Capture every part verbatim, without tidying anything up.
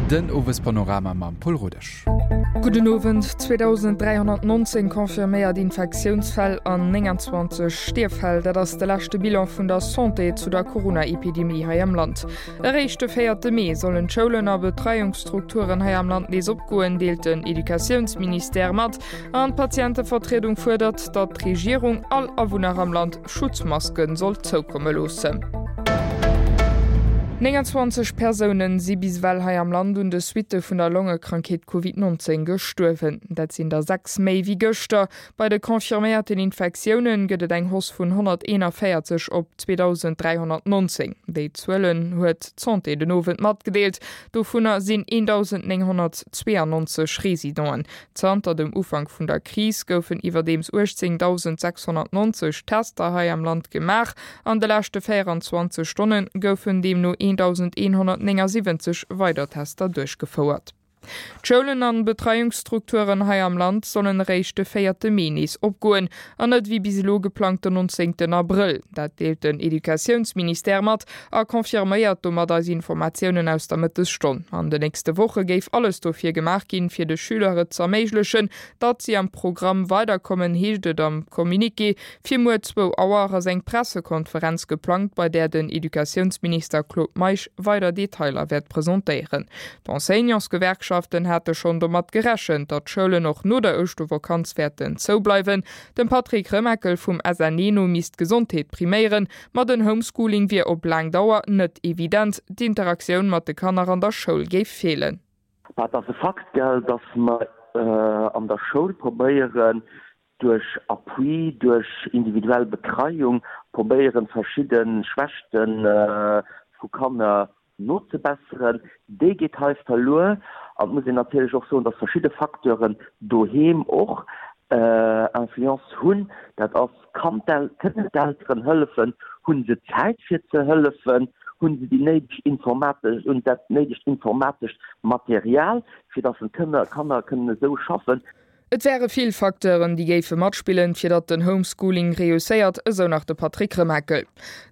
Den Owespanorama mam Paul Rodesch. Gudden Owend, zweedausend dräihonnertnonzéng confirméiert Infektiounsfäll an nénganzwanzeg Stierffäll, dat ass de leschte Bilan vun der Santé zu der Corona-Epidemie hei am Land. Eréischt de véierte Mee sollen d'Schoulen a Betreiungsstrukturen hei am Land nees opgoen, deelt den Educatiounsministère mat. An d'Patientevertriedung fuerdert, datt d'Regierung all Awunner am Land Schutzmasken soll zoukomme loossen. nénganzwanzeg Persounen si bis ewell hei am Land un de Suitte vun der Longekrankheet Covid nonzéng gestuerwen. Dat sinn der sechs méi wéi gëschter. Bei de confirméierten Infektioune gëtt et eng Hausse vun honnerteenavéierzeg op zweedausend dräihonnertnonzéng. Déi Zuelen huet d'Santé den Owend matgedeelt. Dovunner sinn eendausend nénghonnertzweeanonzeg Residenten. Zanter dem Ufank vun der Kris goufen iwwerdeems uechtzéngdausendsechshonnertnonzeg Tester hei am Land gemaach. An de leschte véieranzwanzeg Stonne goufen deemno eendausend eenhonnertnéngasiwwenzeg weider Tester duerchgefouert. D'Schoulen an Betreiungsstrukturen hei am Land sollen eréischt de véierte Mee nees opgoen, an net wéi bis elo geplangt den nonzéngten Abrëll. Dat deelt den Educatiounsministère mat a confirméiert domat eis Informatiounen aus der Mëttesstonn. An de nächste Woche géif alles dofir gemaach ginn, fir de Schüler et z'erméiglechen, datt si am Programm weiderkommen, heescht et am Communiqué. Fir muer zwou Auer ass eng Pressekonferenz geplangt, bei där den Educatiounsminister Claude Meisch weider Detailer wäert presentéieren. D'Enseignantsgewerkschaften hate schonn domat gerechent, datt d'Schoulen och no der Ouschtervakanz wäerten zoubleiwen. Dem Patrick Remakel vum S N E no misst d'Gesondheet priméieren, ma den Homeschooling wier op laang Dauer net evident, d'Interaktioun mat de Kanner an der Schoul géif feelen. Et ass e Fakt, gell, datt mer an der Schoul probéieren, duerch Appui, duerch individuell Betreiung probéieren, verschidde Schwächte vu Kanner nozebesseren. Déi geet hei verluer. An et muss een natierlech och soen, datt verschidde Facteuren doheem och Influence hunn. Dat ass, kann d'El kënnen d'Elteren hëllefen, hu se Zäit fir ze hëllefen, hu se déi néideg informatesch, hunn dat néidegt informatescht Material, fir datt den Kënner Kanner kënnen esou schaffen. Et wäre vill Facteuren, déi géife matspillen, fir datt den Homeschooling reusséiert, esou nach de Patrick Remakel.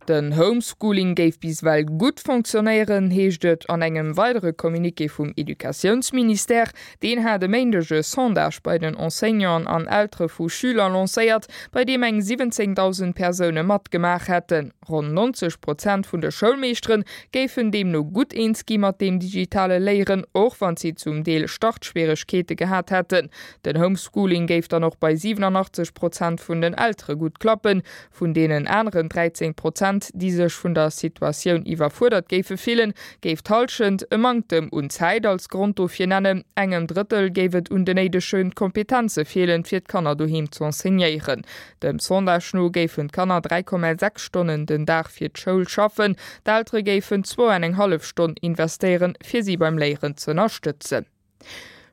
Den Homeschooling géif bis ewell gutt fonctionnéieren, heescht et an engem weidere Communiqué vum Educatiounsministère. Deen hat e Méindeg e Sondage bei den Enseignanten an Eltere vu Schüler lancéiert, bei deem eng siwwenzéngdausend Persoune matgemaach hätten. Ronn nonzeg Prozent vun de Schoulmeeschteren géifen deemno gutt eens gi mat dem digitale Léieren, och wann si zum Deel Startschwieregkeete gehat hätten. Den Homeschooling géif dann och bei siwenanachtzeg Prozent vun den Eltere gutt klappen. Vun deenen aneren dräizéng Prozent, déi sech vun der Situatioun iwwerfuerdert géife fillen, géif d'Hallschent e Manktem un Zäit als Grond dofir nennen. Engem Drëttel géif et un den néidege Kompetenze feelen, fir d'Kanner doheem ze enseignéieren. Dem Sondage no géifen d'Kanner dräi Komma sechs Stonnen den Dag fir d'Schoul schaffen, d'Eltere géifen zwou an eng hallef Stonn investéieren, fir si beim Léieren ze ënnerstëtzen.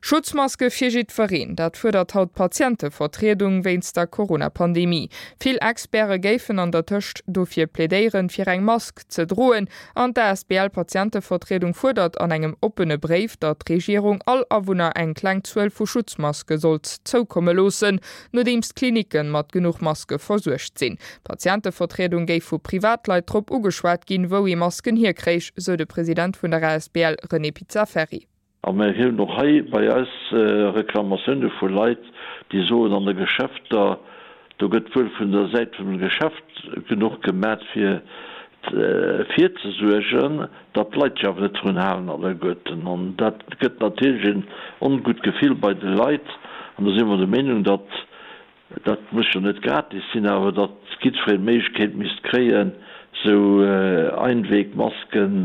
Schutzmaske fir jiddwereen, dat fuerdert haut d'Patientevertriedung wéinst der Corona-Pandemie. Vill Experte géifen an der Tëscht dofir plädéieren, fir eng Mask ze droen. An d'A S B L-Patientevertriedung fuerdert an engem oppene Bréif, datt d'Regierung all Awunner eng kleng Zuel vu Schutzmaske sollt zoukomme loossen, nodeems d'Klinicke mat genuch Maske versuergt sinn. D'Patientevertriedung géif vu Privatleit drop ugeschwat ginn, wou ee Masken hierkréich, sou de President vun der A S B L René Pizzaferri. A mir hunn och hei bei eis Reklamatioune vu Leit, déi soen, an de Geschäfter, do gëtt wuel vun der Säit vum Geschäft genuch gemat fir virzesuergen, datt d'Leit sech awer net drun halen alleguerten. An dat gëtt natierlech en ongutt Gefill bei de Leit. An do si mer der Meenung, datt, dat muss jo net gratis sinn, awer datt jiddwereen d'Méiglechkeet misst kréien, esou Einwegmasken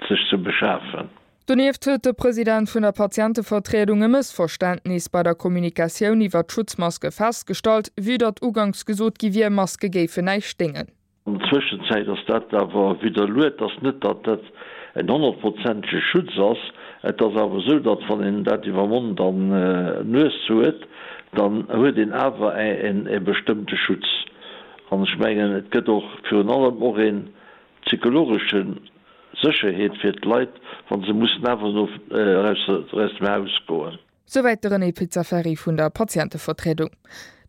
sech ze beschafen. Donieft huet de President vun der Patientevertriedung e Mëssverständnis bei der Kommunikatioun iwwer d'Schutzmaske festgestallt, vue datt uganks gesot gi wier, Maske géifen näischt déngen. An der Zwëschenzäit ass dat awer widderluet, dass net, datt dat en honnertprozentege Schutz ass. Et ass awer esou, datt wann een dat iwwer Mond an Nues huet, dann huet een awer e bestëmmte Schutz. An ech mengen, et gëtt och virun allem och e psychologesche Sécherheet fir d'Leit, wa se mussen awer no eraus dem Haus goen. Souwäit de René Pizzaferri vun der Patientevertriedung.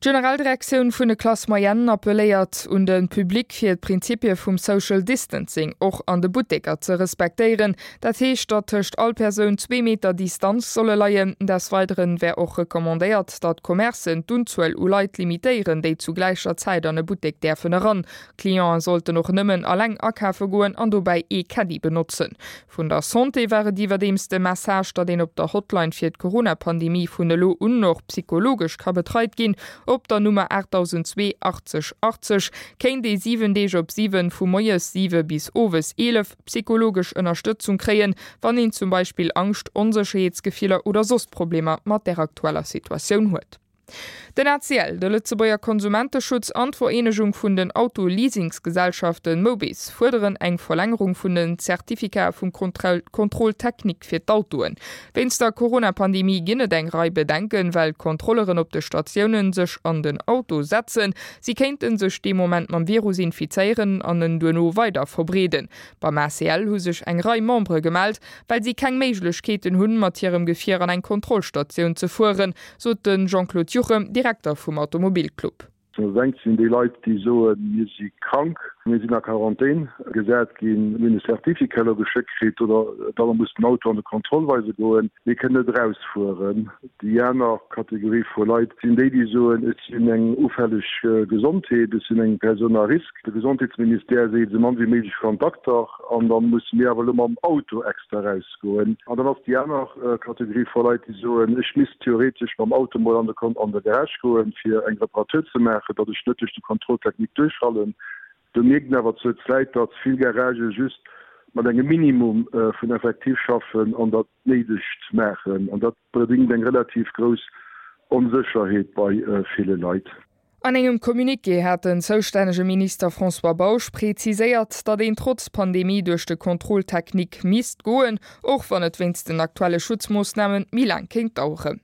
D'Generaldirektioun vun de Classes moyennes appelléiert un de Public fir d'Prinzipie vum Social Distancing och an de Butteker ze respektéieren. Dat heescht, datt tëscht all Persoun zwee Meter Distanz solle leien. Des Weideren wär och recommandéiert, datt d'Commercen d'Unzuel u Leit limitéieren, déi zu gläicher Zäit an e Buttek däerfen eran. Clienten sollten och nëmmen alleng akafe goen an dobäi ee Caddie benotzen. Vun der Santé war et iwwerdeems de Message, datt een op der Hotline fir d'Corona-Pandemie vun elo un och psychologesch ka betreit ginn. Op der Nummer aachtdausendzwee achtzeg achtzeg kéint ee siwen Deeg op siwen vu moies siwe bis owes eelef psychologesch Ënnerstëtzung kréien, wann een zum Beispill Angscht, Onsécherheetsgefiller oder soss Problemer mat der aktueller Situatioun huet. Den A C L, de Lëtzebuerger Konsumenteschutz an d'Vereenegung vun den Auto-Leasingsgesellschaften Mobis fuerderen eng Verlängerung vun den Zertifikate vum Contrôle technique fir d'Autoen. Wéinst der Corona-Pandemie ginn et eng Rei Bedenken, well d'Kontrolleren op de Statiounen sech an den Auto setzen. Si kéinte sech dee Moment mam Virus infizéieren an en duerno weider verbreeden. Beim A C L hu sech eng Rei Membere gemellt, well si keng Méiglechkeeten hunn, mat hirem Gefier an eng Kontrollstatioun ze fueren, sot de Jean-Claude Juchem, Direkter vum Automobilclub. Dat engt sinn déi Leit, déi soen, mir si krank, mir sinn a Quarantän gesat ginn, mir hunn e Certificat elo geschéckt kritt oder da mer mussen den Auto an de Kontroll weise goen, mir kënnen net erausfueren. Déi aner Kategorie vu Leit sinn déi, déi soen, ech sinn eng ufälleg Gesondheet, ech sinn eng Persoun à risque, de Gesondheetsministère seet, esou mann wéi méiglech Kontakter an da musse mir awer elo mam Auto extra erausgoen. An dann ass déi aner Kategorie vu Leit, déi soen, ech misst theoretesch mam Auto mol an de Garage goen, fir eng Reparatur ze maachen, datt ech net duerch de Contrôle technique duerchfallen. Do mierkt een awer zur Zäit, datt vill Garagë just mat engem Minimum vun Effektiv schaffen an dat Néidegt maachen. An dat bedéngt eng relativ grouss Onsécherheet bei ville Leit. An engem Communiqué hat den zoustännege Minister François Bausch preziséiert, datt een trotz Pandemie duerch de Contrôle technique misst goen, och wann et wéinst den aktuelle Schutzmoossname méi laang kéint daueren.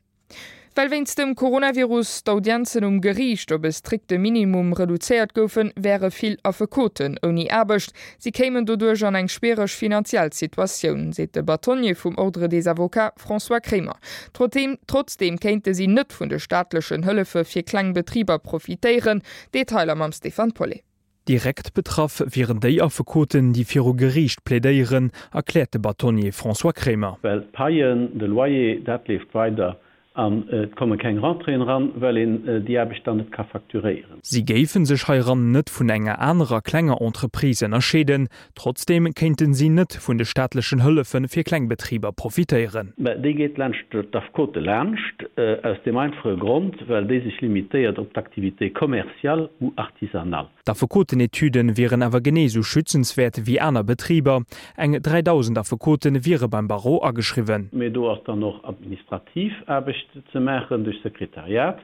Well wéinst dem Coronavirus d'Audienzen um Geriicht op e strikte Minimum reduzéiert goufen, wäre vill Affekoten ouni Aarbecht. Si kéimen doduerch an eng schwiereg finanziell Situatioun, seet de Bâtonnier vum Ordre des Avocats François Kremer. Trotzdeem kéinte si net vun de staatlechen Hëllefe fir kleng Betriber profitéieren. Detailer mam Stéphane Paulet. Direkt betraff wieren déi Affekoten, déi viru Geriicht plädéieren, erkläert de Bâtonnier François Kremer. Well d'Paien, de Loyer, dat leeft weider an et komme keng Rentréeën eran, well een déi Aarbecht dann net ka facturéieren. Si géife sech heiran net vun enger anerer klenger Entreprise ënnerscheeden. Trotzdeem kéinte si net vun de staatlechen Hëllefe fir kleng Betriber profitéieren. Mä déi geet laanscht d'Affekote laanscht, aus deem einfache Grond, well déi sech limitéiert op d'Activité commerciale ou artisanale. D'Affekotenetüde wieren awer genee sou schützenswäert wéi aner Betriber. Eng dräidausend Affekote wiere beim Barreau ageschriwwen. Mee do ass dann och administrativ Aarbecht ze maachen duerch Sekretariat,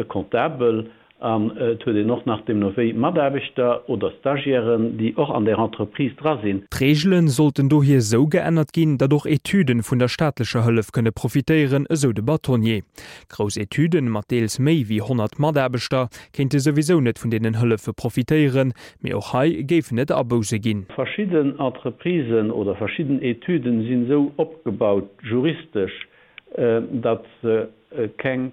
Comptabel, an et huet een och nach deemno wéi Mataarbechter oder Stagiairen, déi och an där Entreprise dra sinn. D'Reegele sollten dohier sou geännert ginn, datt och Etüden vun der staatlecher Hëllef kënne profitéieren, esou de Bâtonnier. Grouss Etüden mat deels méi wéi honnert Mataarbechter kéinte souwisou net vun deenen Hëllefe profitéieren, mee och hei géifen et Abousse ginn. Verschidden Entreprisen oder verschidden Etüden sinn esou opgebaut juristesch, datt se keng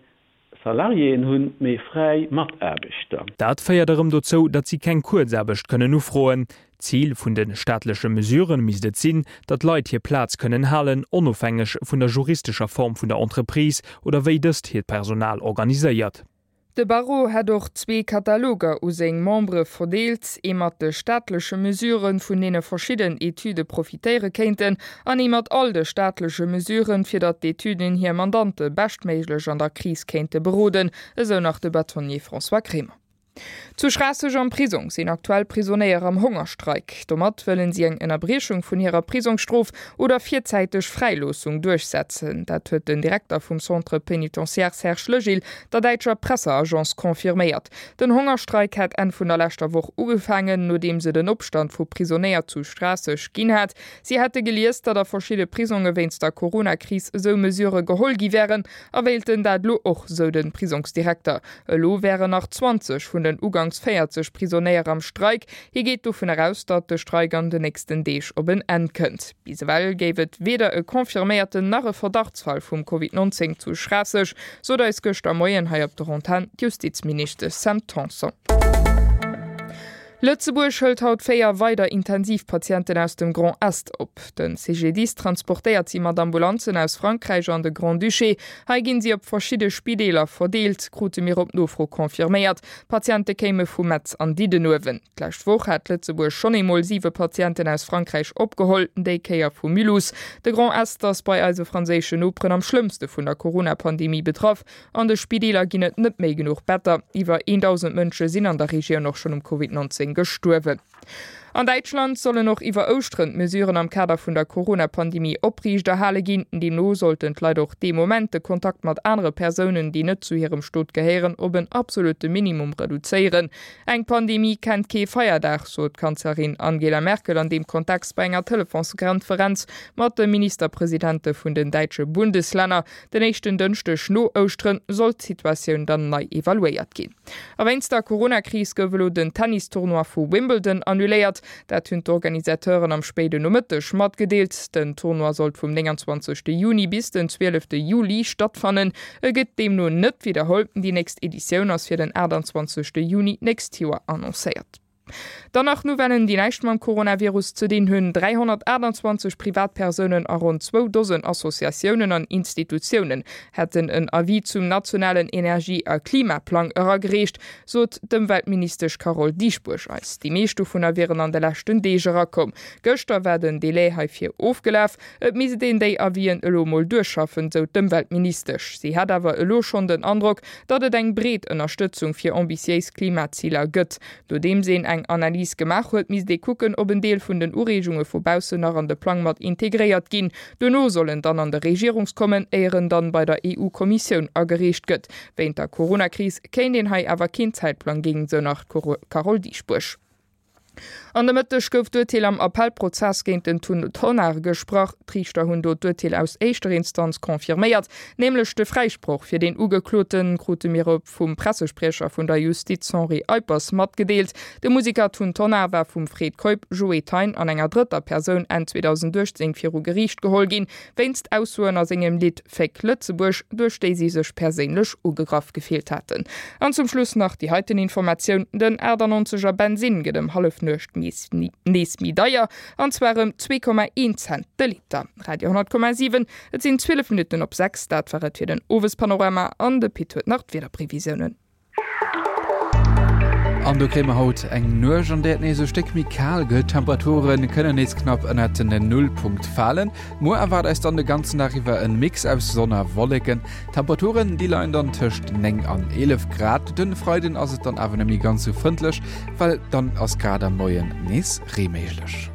Salariéen hunn, mee fräi Mataarbechter. Dat féiert erëm dozou, datt si keng Kuerzaarbecht kënnen ufroen. Zil vun de staatleche Mesurë misst et sinn, datt Leit hir Plaz kënnen halen, onofhängeg vun der juristescher Form vun der Entreprise oder wéi dëst hiert Personal organiséiert. De Barreau hätt och zwee Kataloger u seng Membere verdeelt, ee mat de staatleche Mesuren, vun deene verschidden Etüde profitéiere kéinten, an ee mat all de staatleche Mesuren, fir datt d'Etüden hir Mandante beschtméiglech an der Kris kéinte beroden, esou nach de Bâtonnier François Kremer. Zu Schraasseg am Prisong sinn aktuell Prisonéier am Hongerstreik. Domat wëllen si eng Ënnerbriechung vun hirer Prisongsstrof oder virzäiteg Fräiloossung duerchsetzen. Dat huet den Direkter vum Centre pénitentiaire Serge Legil der däitscher Presseagence confirméiert. Den Hongerstreik hätt Enn vun der leschter Woch ugefaangen, nodeems et en Opstand vu Prisonéier zu Schraasseg ginn hat. Si hätte gelies, datt a verschidde Prisonge wéinst der Corona-Kris esou Mesurë geholl gi wären a wéilten dat elo och, sou de Prisongsdirekter. Elo wären nach zwanzeg vun vun den uganks véierzeg Prisonéier am Streik. Hie geet dovun eraus, datt de Streik an den nächsten Deeg op en Enn kënnt. Bis ewell géif et weder e confirméierten nach e Verdachtsfall vum Covid neunzéng zu Schraasseg, sot eis gëschter Moien hei op der Antenn d'Justizministesch Sam Tanson. Lëtzebuerg hëlt haut véier weider Intensivpatienten aus dem Grand Est op. Den C G D I S transportéiert si mat Ambulanzen aus Frankräich an de Grand-Duché. Hei ginn si op verschidde Spideeler verdeelt, krute mir op Nofro confirméiert. D'Patiente kéime vu Metz an Diddenuewen. D'lescht Woch hat Lëtzebuerg schonn eemol siwe Patienten aus Frankräich opgeholl, déi Kéier vu Mulhouse. De Grand Est ass bei eise franséischen Noperen am schlëmmste vun der Corona-Pandemie betraff. An de Spideeler ginn et net méi genuch Better. Iwwer een Dausend Mënsche sinn an der Regioun och schonn um Covid neunzéng gestuerwen. An Däitschland sollen och iwwer Ouschteren d'Mesuren am Kader vun der Corona-Pandemie opriichterhale ginn. Deemno sollten d'Leit och dee Moment de Kontakt mat anere Persounen, déi net zu hirem Stot gehéieren, op en absolutte Minimum reduzéieren. Eng Pandemie kennt kee Feierdag, sot d'Kanzlerin Angela Merkel an deem Kontext bei enger Telefonskonferenz mat de Ministerpresidente vun den däitsche Bundeslänner. Den éischten Dënschdeg no Ouschteren soll d'Situatioun dann nei evaluéiert ginn. A wéinst der Corona-Kris gouf elo den Tennis-Tournoi vu Wimbledon annuléiert. Dat hunn d'Organisateuren am spéiden Nomëtteg matgedeelt. Den Tournoi sollt vum nénganzwanzegste Juni bis den zwielefte Juli stattfannen. E gëtt deemno net widderholl. Déi nächst Editioun ass fir den aachtanzwanzegste Juni d'nächst Joer annoncéiert. Dann nach Nouvellen, déi näischt mam Coronavirus ze dinn hunn, dräihonnertaachtanzwanzeg Privatpersounen a ronn zwou Dosen Associatiounen an Institutiounen hätten en Avis zum nationalen Energie a Klimaplang eragereecht, sot d'Ëmweltministesch Carole Dieschbourg eis. Déi meescht dovunner wieren an de leschten Deeg erakomm. Gëschter war den Delai heifir ofgelaf. Et misst een déi Avisen elo mol duerchschaffen, sou d'Ëmweltministesch. Si hätt awer elo schonn den Androck, datt et eng breet Ënnerstëtzung fir ambitiéis Klimaziler gëtt. Nodeems een eng Analys gemaach huet, misst ee kucken, ob en Deel vun den Ureegunge vu baussen nach an de Plang mat integréiert ginn. Duerno soll en dann an de Regierungs kommen, éier en dann bei der E U-Kommissioun agereecht gëtt. Wéint der Coronakris kéint een hei awer keen Zäitplang ginn, sou nach d'Carole Dieschbourg. An de Mëtteg gouf d'Urteel am Appellprozess géint den Tun Tonnar gesprach. D'Riichter hunn do d'Urteel aus éischter Instanz confirméiert, nämlech de Fräisproch fir den Ugekloten, krute mir op vum Pressespriecher vun der Justiz Henri Eippers matgedeelt. De Musiker Tun Tonnar war vum Fred Keup, Joe Thein an enger drëtter Persoun Enn zweedausendachtzéng viru Geriicht geholl ginn, wéinst Aussoen a sengem Lidd Féck Lëtzebuerg, duerch déi si sech perséinlech ugegraff gefillt haten. An zum Schluss nach déi heiten Informatioun, Den achtannonzeger Bensinn gëtt ëm Hallefnuecht nees méi deier, an zwar ëm zwee Komma een Cent de Liter. Radio honnert Komma siwen, et sinn zwielef Minutten op sechs, dat war et fir den Owespanorama an de Pit huet nach d'Wiederprevisiounen. An do kréie mer haut eng Nuecht, an där et nees e Stéck méi kal gëtt. D'Temperature kënnen nees knapp ënnert den Nullpunkt falen. Muer erwaart eis dann de ganzen Dag iwwer en Mix aus Sonn a Wolleken. D'Temperaturen, déi leien dann tëscht néng an eelef Grad. Den Freiden ass et dann awer net méi ganz sou frëndlech, well dann ass grad am Moien nees Ree méiglech.